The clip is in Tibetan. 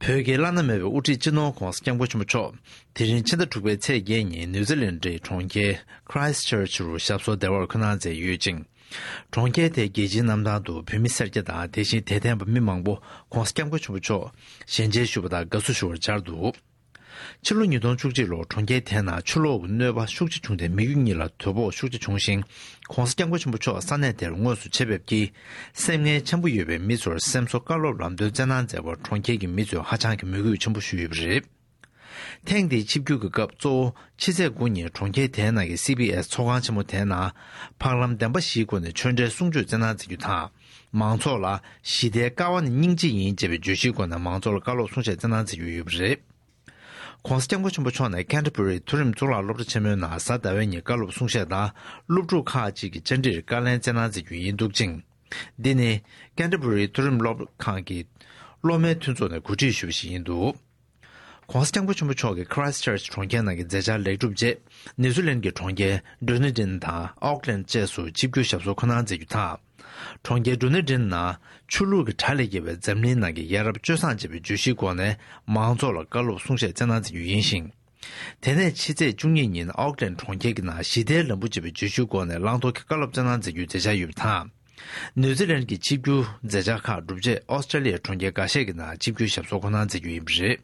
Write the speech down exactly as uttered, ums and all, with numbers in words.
བོད་ཀྱི་བླ་ན་མེད་པའི་དབུ་ཁྲིད་སྤྱི་ནོར་༧གོང་ས་༧སྐྱབས་མགོན་ཆེན་པོ་མཆོག་དེ་རིང་ཕྱི་ཟླ་དྲུག་པའི་ཚེས་བརྒྱད་ཉིན་ནིའུ་ཛི་ལན་ཌི་གྲོང་ཁྱེར་Christchurch་རུ་ཞབས་སོར་བདེ་བར་འཁོད་གནང་མཛད་ཡོད་ཅིང་། གྲོང་ཁྱེར་དེའི་རྒྱལ་སྤྱིའི་གནམ་ཐང་དུ་བོད་མི་སེར་སྐྱ་དང་དེ་བཞིན་དད་ལྡན་པ་མི་མང་པོ་༧གོང་ས་༧སྐྱབས་མགོན་ཆེན་པོ་མཆོག་ཞལ་མཇལ་ཞུ་བ་དང་དགའ་བསུ་ཞུ་བར་བཅར་འདུག་ཕྱི་ལོ་ཉིས་སྟོང་བཅུ་གཅིག་ལོར་གྲོང་ཁྱེར་དེའི་ནང་ཆུ་ལོག་གི་གནོད་པ་ཤུགས་ཆེ་བྱུང་སྟེ་མི་རྒྱུ་གཉིས་ལ་དོ་ཕོག་ཤུགས་ཆེ་བྱུང་ཞིང་། ༧གོང་ས་༧སྐྱབས་མགོན་ཆེན་པོ་མཆོག་ས་གནས་དེར་དངོས་སུ་ཆེད་ཕེབས་ཀྱིས་སེམས་ངལ་ཆེན་པོ་ཡོད་པའི་མི་ཚོར་སེམས་གསོ་བཀའ་སློབ་ལམ་སྟོན་སྩལ་གནང་མཛད་པར་གྲོང་ཁྱེར་གྱི་མི་ཚོས་ཧ་ཅང་གི་མོས་གུས་ཆེན་པོ་ཞུས་ཡོད་པ་རེད། ཐེངས་འདིའི་ཆིབས་བསྒྱུར་གྱི་སྐབས་གཙོ་བོ་ཕྱི་ཚེས་དགུ་ཉིན་གྲོང་ཁྱེར་དེའི་ནང་གི་སི་བི་ཨེས་ཚོགས་ཁང་ཆེན་མོ་དེའི་ནང་འཕགས་ལམ་བདེན་པ་བཞིའི་སྒོ་ནས་ཆོས་འབྲེལ་གསུང་ཆོས་སྩལ་གནང་མཛད་རྒྱུ་དང་། མང་ཚོགས་ལ་ཞི་བདེའི་ཀ་བ་ནི་སྙིང་རྗེ་ཡིན་ཅེས་པའི་བརྗོད་གཞིའི་སྒོ་ནས་མང་ཚོགས་ལ་བཀའ་སློབ་གསུང་བཤད་སྩལ་གནང་མཛད་རྒྱུ་ཡོད་པ་རེད། ༧གོང་ས་༧སྐྱབས་མགོན་ཆེན་པོ་མཆོག་ནས་ཀན་ཊ་བུ་རི་མཐོ་རིམ་གཙུག་ལག་སློབ་གྲྭ་ཆེན་མོའི་ནང་གཟའ་ཟླ་བའི་ཉིན་བཀའ་སློབ་གསུང་བཤད་དང་སློབ་ཕྲུག་ཁག་ཅིག་གི་བཅར་འདྲིར་བཀའ་ལན་སྩལ་གནང་མཛད་རྒྱུ་ཡིན་འདུག་ཅིང་། འདི་ནི་ཀན་ཊ་བུ་རི་མཐོ་རིམ་སློབ་ཁང་གི་སློབ་མའི་མཐུན་ཚོགས་ནས་གོ་སྒྲིག་ཞུས་པ་ཞིག་ཡིན་འདུག ༧གོང་ས་༧སྐྱབས་མགོན་ཆེན་པོ་མཆོག་གིས་Christchurch་གྲོང་ཁྱེར་ནང་གི་མཛད་འཆར་ལེགས་གྲུབ་རྗེས་ནིའུ་ཛི་ལན་གྱི་གྲོང་ཁྱེར་ཌུ་ནི་ཌིན་དང་ཨོག་ལན་བཅས་སུ་ཆིབས་བསྒྱུར་ཞབས་སོར་འཁོད་གནང་མཛད་རྒྱུ་དང་། གྲོང་ཁྱེར་ཌུ་ནི་ཌིན་ནང་ཆུ་ལུད་ཀྱི་གྲལ་ལ་ཡོད་པའི་འཛམ་གླིང་ནང་གི་ཡ་རབས་སྤྱོད་བཟང་ཅེས་པའི་བརྗོད་གཞིའི་སྒོ་ནས་མང་ཚོགས་ལ་བཀའ་སློབ་གསུང་བཤད་སྩལ་གནང་མཛད་རྒྱུ་ཡིན་ཞིང་། དེ་ནས་ཕྱི་ཚེས་བཅུ་གཉིས་ཉིན་ཨོག་ལན་གྲོང་ཁྱེར་གྱི་ནང་ཞི་བདེའི་ལམ་བུ་ཅེས་པའི་བརྗོད་གཞིའི་སྒོ་ནས་བླང་དོར་གྱི་བཀའ་སློབ་སྩལ་གནང་མཛད་རྒྱུའི་མཛད་འཆར་ཡོད་པ་དང་། ནིའུ་ཛི་ལན་གྱི་ཆིབས་བསྒྱུར་མཛད་འཆར་ཁག་གྲུབ་རྗེས་ཨོ་སི་ཀྲེ་ལི་ཡའི་གྲོང་ཁྱེར་འགའ་ཤས་ཀྱི་ནང་ཆིབས་བསྒྱུར་ཞབས་སོར་འཁོད་གནང་མཛད་རྒྱུ་ཡིན་པ་རེད།